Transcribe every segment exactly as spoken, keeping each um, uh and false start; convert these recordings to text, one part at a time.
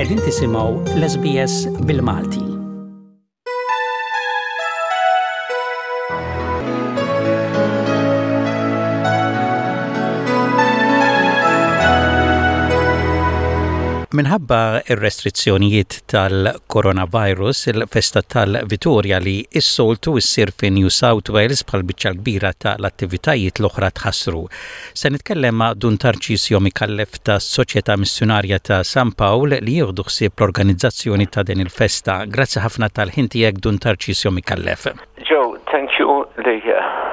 Qegħdin tisimgħu l-S B S bil-Malti. Minħabba ir-restrizzjonijiet tal-coronavirus, il-festa tal-Vitorja li s-soltu issir fi New South Wales bħal biċċa kbira tal-attivitajiet l-oħra tħassru. Se nitkellem ma' Dun Tarċisio Mikallef ta' Soċjetà Missjonarja ta' San Pawl li jieħdu ħsieb l-organizzazzjoni ta' din il-festa. Grazzi ħafna tal-ħin tiegħek, Dun Tarċisio Mikallef. Joe, thank you li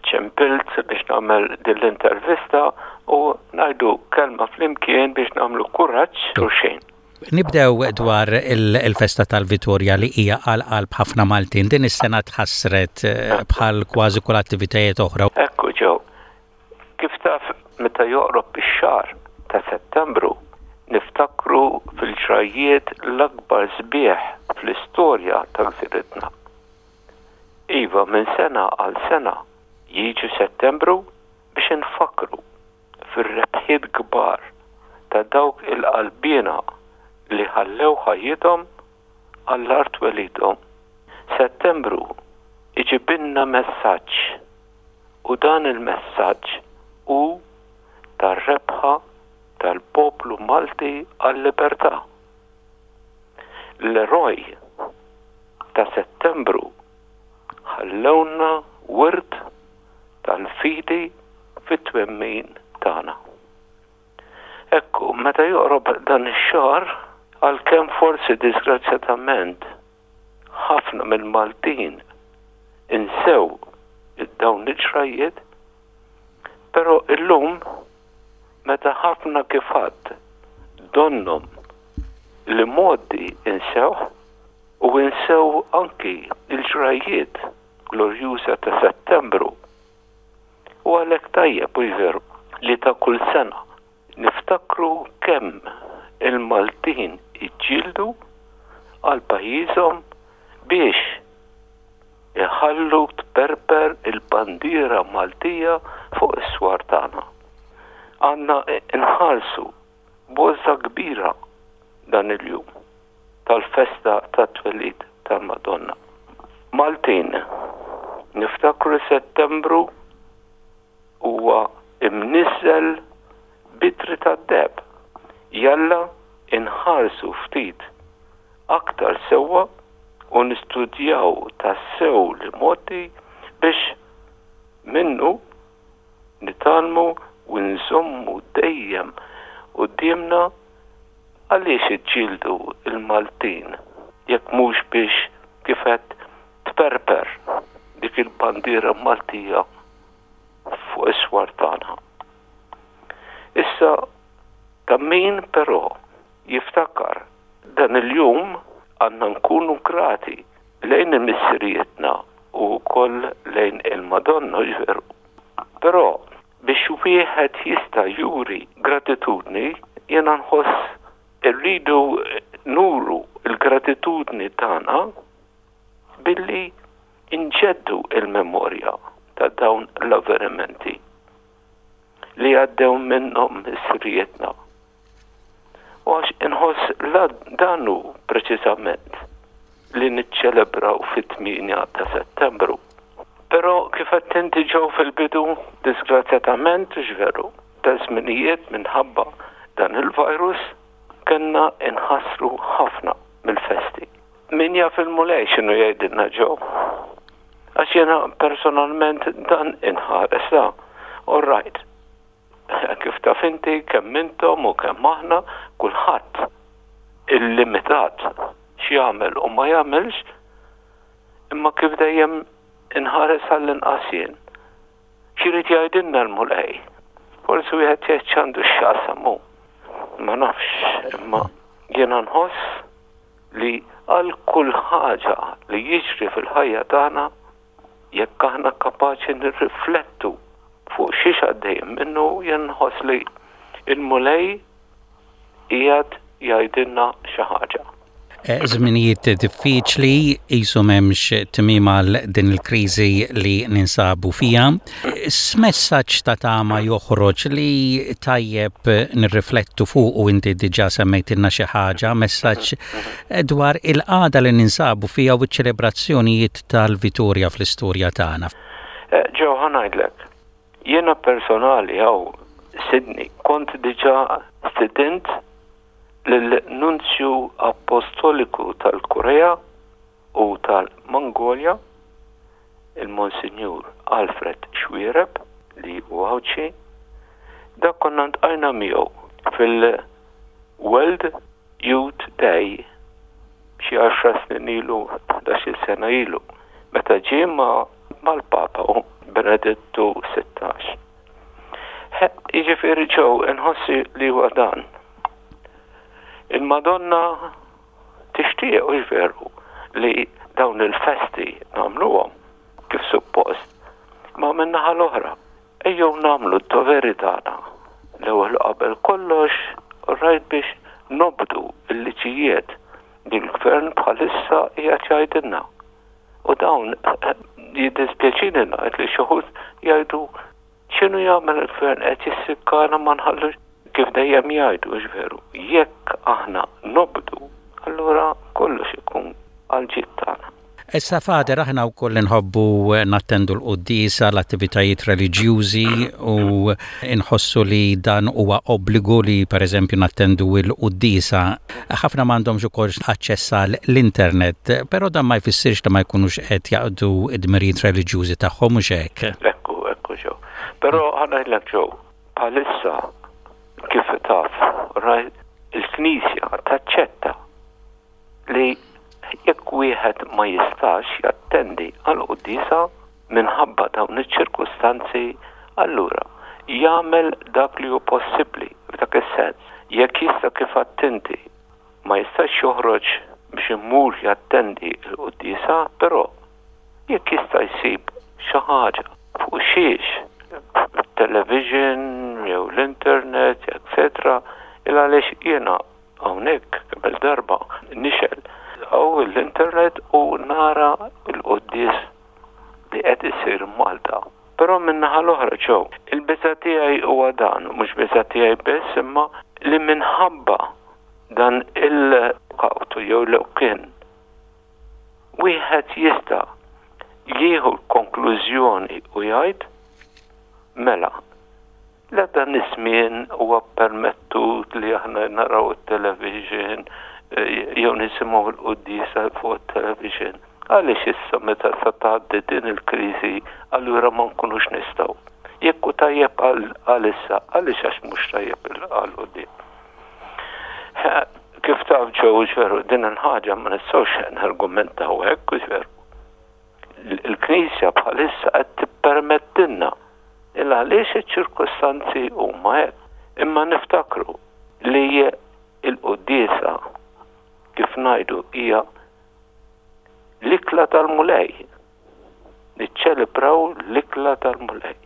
ċempilt biex nagħmel din l-intervista u ngħidu kelma flimkien biex nagħmlu kuraġġ xulxin. Nibdew dwar il-festa tal-Vitorja li hija għal qalb ħafna Maltin. Din is-sena tħassret eh, bħal kważi kull attivitajiet oħra. Ekku, Joe, kif taf, meta joqrob ix-xahar ta' Settembru niftakru fil-ġrajiet l-akbar sbieħ fl-istorja ta' gżiritna. Iva, minn sena għal sena jiġi Settembru biex nfakru fir-rebħiet kbar ta' dawk il-qalbina li ħallew ħajjithom għall-art twelidhom. Settembru iġibilna messaġġ u dan il-messaġġ hu tar-rebħa tal-poplu Malti għal-libertà. L-eroj ta' Settembru ħallewna wirt tal-fidi fit-twemmin tagħna. Ekku, meta joqrob dan ix-xahar, għalkemm forsi disgrazzjatament ħafna mill-Maltin insew dawn il-ġrajiet, però illum meta ħafna kif għedt donnhom li modi insew u insew anki il-ġrajiet glorjuża ta' Settembru. U għalhekk tajjeb u veru li ta' kull sena niftakru kemm il-Maltin iġġieldu għal pajjiżhom biex iħallu tperper il-bandiera Maltija fuq is-swar tagħna. Għandna nħarsu b'għożża kbira dan il-jum tal-festa tat-twelid tal-Madonna. Maltin, niftakru Settembru huwa imniżżel b'ittri tad-deheb. Jalla inħarsu ftit aktar sewwa u nistudjaw tassew l-imgħoddi biex minnu nitgħallmu u nżommu dejjem quddiemna għaliex iġġieldu il-Maltin jekk mhux biex kif għedt tperper dik il-bandiera Maltija fuq is-swar tagħna. Issa, ta' min però jiftakar dan il-jum, għandna nkunu grati lejn il-missirietna u wkoll lejn il-Madonna, veru. Però biex wieħed jista' juri gratitudni, jiena nħoss irridu nuru il-gratitudni tagħna billi inġeddu il-memorja ta' dawn l-avvenimenti li għaddew minnhom missirietna. U għax inħoss la dan hu preċiżament li niċċelebraw fit-tmienja ta' Settembru. Però kif għedt inti, Joe, fil-bidu, disgrazzjatament, veru, ta' żminijiet minħabba dan il-virus kellna inħassru ħafna mill-festi. Min jaf il-Mulej x'inhu jgħidilna, Joe? Għax jiena personalment dan inħares da. All right. Kif taf inti, kemm intom u kemm aħna, kulħadd illimitat x'jagħmel u ma jagħmilx, imma kif dejjem inħares għall-inqas jien. X'irid jgħidilna l-Mulej? Forsi wieħed jgħid x'għandu x'jaqsam hu. Ma nafx, imma jiena nħoss li għal kull ħaġa li jiġri fil-ħajja tagħna, jekk aħna kapaċi nirriflettu fuq xiex għaddejjem minnu, jien nħoss li il-Mulej qiegħed jgħidilna xi ħaġa. Żminijiet diffiċli, qisu m'hemmx tmiem għal din il-kriżi li ninsabu fija. X'messaġġ ta' tama joħroġ li tajjeb nirriflettu fuq, u inti diġà semmejtilna xi ħaġa, messaġġ dwar il-qagħda li ninsabu fija u ċ-ċelebrazzjonijiet tal-Vitorja fl-istorja tagħna? Joe, ħa ngħidlek, jiena personali hawn Sydney kont diġà stedint l-Nunzju Apostoliku tal-Korea u tal-Mongolja, il-Monsinjur Alfred Xuereb, li hu Għawdxi. Dak konna ltqajna miegħu fil-World Youth Day xi għaxar snin ilu, ħdax-il sena ilu, meta ġie ma' mal-Papa u Benedettu Sittax. Jiġifieri, Joe, inħossi li huwa dan. Il-Madonna tixtieq, u veru li dawn il-festi nagħmluhom kif suppost, ma min-naħa l-oħra, ejjew nagħmlu d-doveri tagħna. L-ewwel qabel kollox, rajt biex nobdu il-liġijiet li l-gvern bħalissa qiegħed jgħidilna. U dawn, jiddispjaċini ngħid li xi wħud jgħidu, "X'inhu jagħmel il-gvern, qed jissikkana, ma nħallux," kif dejjem jgħidu, veru. Jekk aħna nobdu, allura kollox ikun għal tagħna. Issa, Father, aħna wkoll nħobbu nattendu l-quddiesa, l-attivitajiet reliġjużi, u nħossu li dan huwa obbligu li per eżempju nattendu l-quddiesa. Ħafna m'għandhomx ukoll aċċess l-internet, però dan ma jfissirx li ma jkunux qed jaqdu id-dmirijiet reliġjużi tagħhom, mhux hekk? Ekku, ekku, Joe. Però ħa ngħidlek, Joe, bħalissa, kif taf, rajt, il-Knisja taċċetta li jekk wieħed ma jistax jattendi għal quddiesa minħabba dawn iċ-ċirkustanzi, allura jagħmel dak li hu possibbli f'dak is-sens. Jekk jista', kif attenti, ma jistax joħroġ biex imur jattendi l-quddiesa, però jekk jista' jsib xi ħaġa fuq xiex, television jew l-internet, et cetera. Il għaliex jiena hawnhekk kemm darba nixgħel hawn l-internet u nara l-quddies li qed isir Malta. Però min-naħa l-oħra, Joe, il-biża tiegħi huwa dan, mhux biża tiegħi biss, imma li minħabba dan il-kawtu jew l kien wieħed jista' jieħu l-konklużjoni u jgħid, "Mela, la dan iż-żmien huwa permettut li aħna naraw it-television eh, jew nisimgħu l-quddiesa fuq it-television. Għaliex issa meta sa tgħaddi din il-kriżi allura ma nkunux nistgħu? Jekk hu tajjeb għalissa, għaliex għax mhux tajjeb għal quddiem?" Kif taf, Joe, veru, din il-ħaġa ma nistgħux nargumentaw hekk, veru. Il-Knisja bħalissa qed tippermettilna il għaliex iċ-ċirkustanzi huma hekk. Imma niftakru li il-quddiesa, kif ngħidu, hija l-ikla tal-Mulej. Niċċelebraw l-ikla tal-Mulej.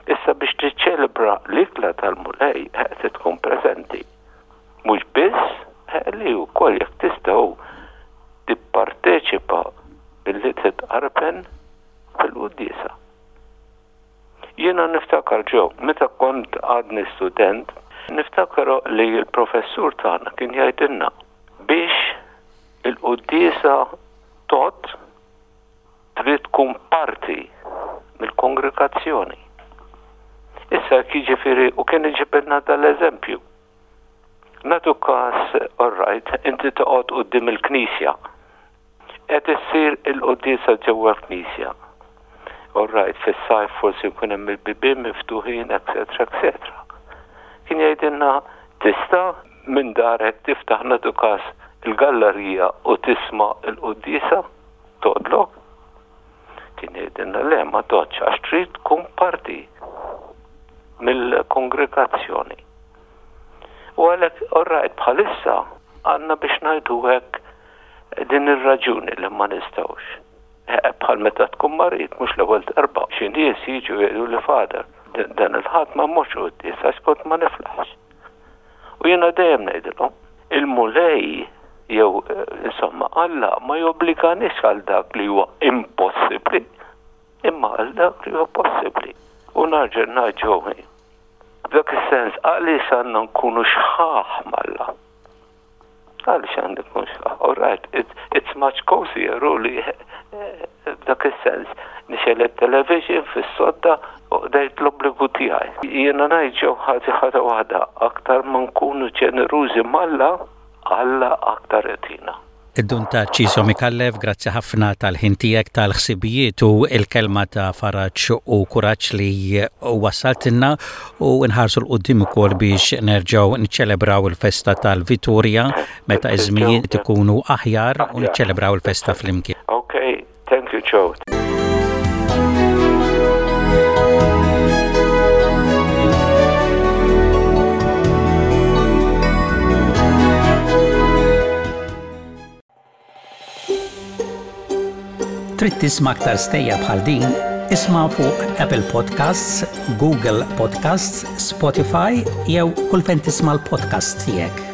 Issa, biex tiċċelebra l-ikla tal-Mulej qed tkun preżenti. Mhux biss li wkoll jekk tistgħu tipparteċipa billi titqarben fil-quddiesa. Jiena niftakar, Joe, meta kont għadni student, niftakar li l-professur tagħna kien jgħidilna biex il-quddiesa tot trid tkun parti mill-kongregazzjoni. Issa, jiġifieri, u kien iġibilna dal-eżempju. Nagħtu każ, all right, inti toqgħod quddiem il-knisja. Qed issir il-quddiesa ġewwa l-knisja. All right, fis-sajf forsi jkun hemm il-bibien miftuħin, et cetera, et cetera. Kien jgħidilna, "Tista' minn darek tiftaħ, nagħtu każ, il-gallerija u tisma' il-quddiesa? Tgħoddlok?" Kien jgħidilna, "Le, ma tgħoddx, għax trid tkun parti mill-kongregazzjoni." U għalhekk, all right, bħalissa għandna biex ngħidu hekk din ir-raġuni li ma nistgħux. Bħal meta tkun marid, mhux l-ewwel darba. Xi nies jiġu jgħidu li, "Father, dan il-Ħadd ma mmorx quddies għax kont ma niflaħx." U jiena dejjem ngħidilhom, il-Mulej Jew insomma, Alla ma jobbliganiex għal dak li huwa impossibbli, imma għal dak li huwa possibbli. U nerġa' ngħid, f'dak is-sens, għaliex għandna nkunu xħaħ m'Alla? Għaliex għandna nkunu xħaħ? All right, it's, it's much cozier u li f'dak is-sens nixgħel it-television fis-sodda u qdejt l-obbligu tiegħi. Jiena ngħid ġew ħaġa ħaġa waħda, aktar ma nkunu ġenerużi m'Alla, Alla aktar jagħtina. Id-Dun Tarċisju Micallef, grazzi ħafna tal-ħin tiegħek, tal-ħsibijiet u il-kelma ta' faraġ u kuraġġ li wassaltilna u nħarsu 'l quddiem ukoll biex nerġgħu niċċelebraw il-festa tal-Vitorja meta iż-żminijiet ikunu aħjar u niċċelebraw il-festa flimkien. Okay, thank you, Joe. Trid tisma' aktar stejjer bħal din? Isma' fuq Apple Podcasts, Google Podcasts, Spotify jew kull fejn tisma' l-podcast tiegħek.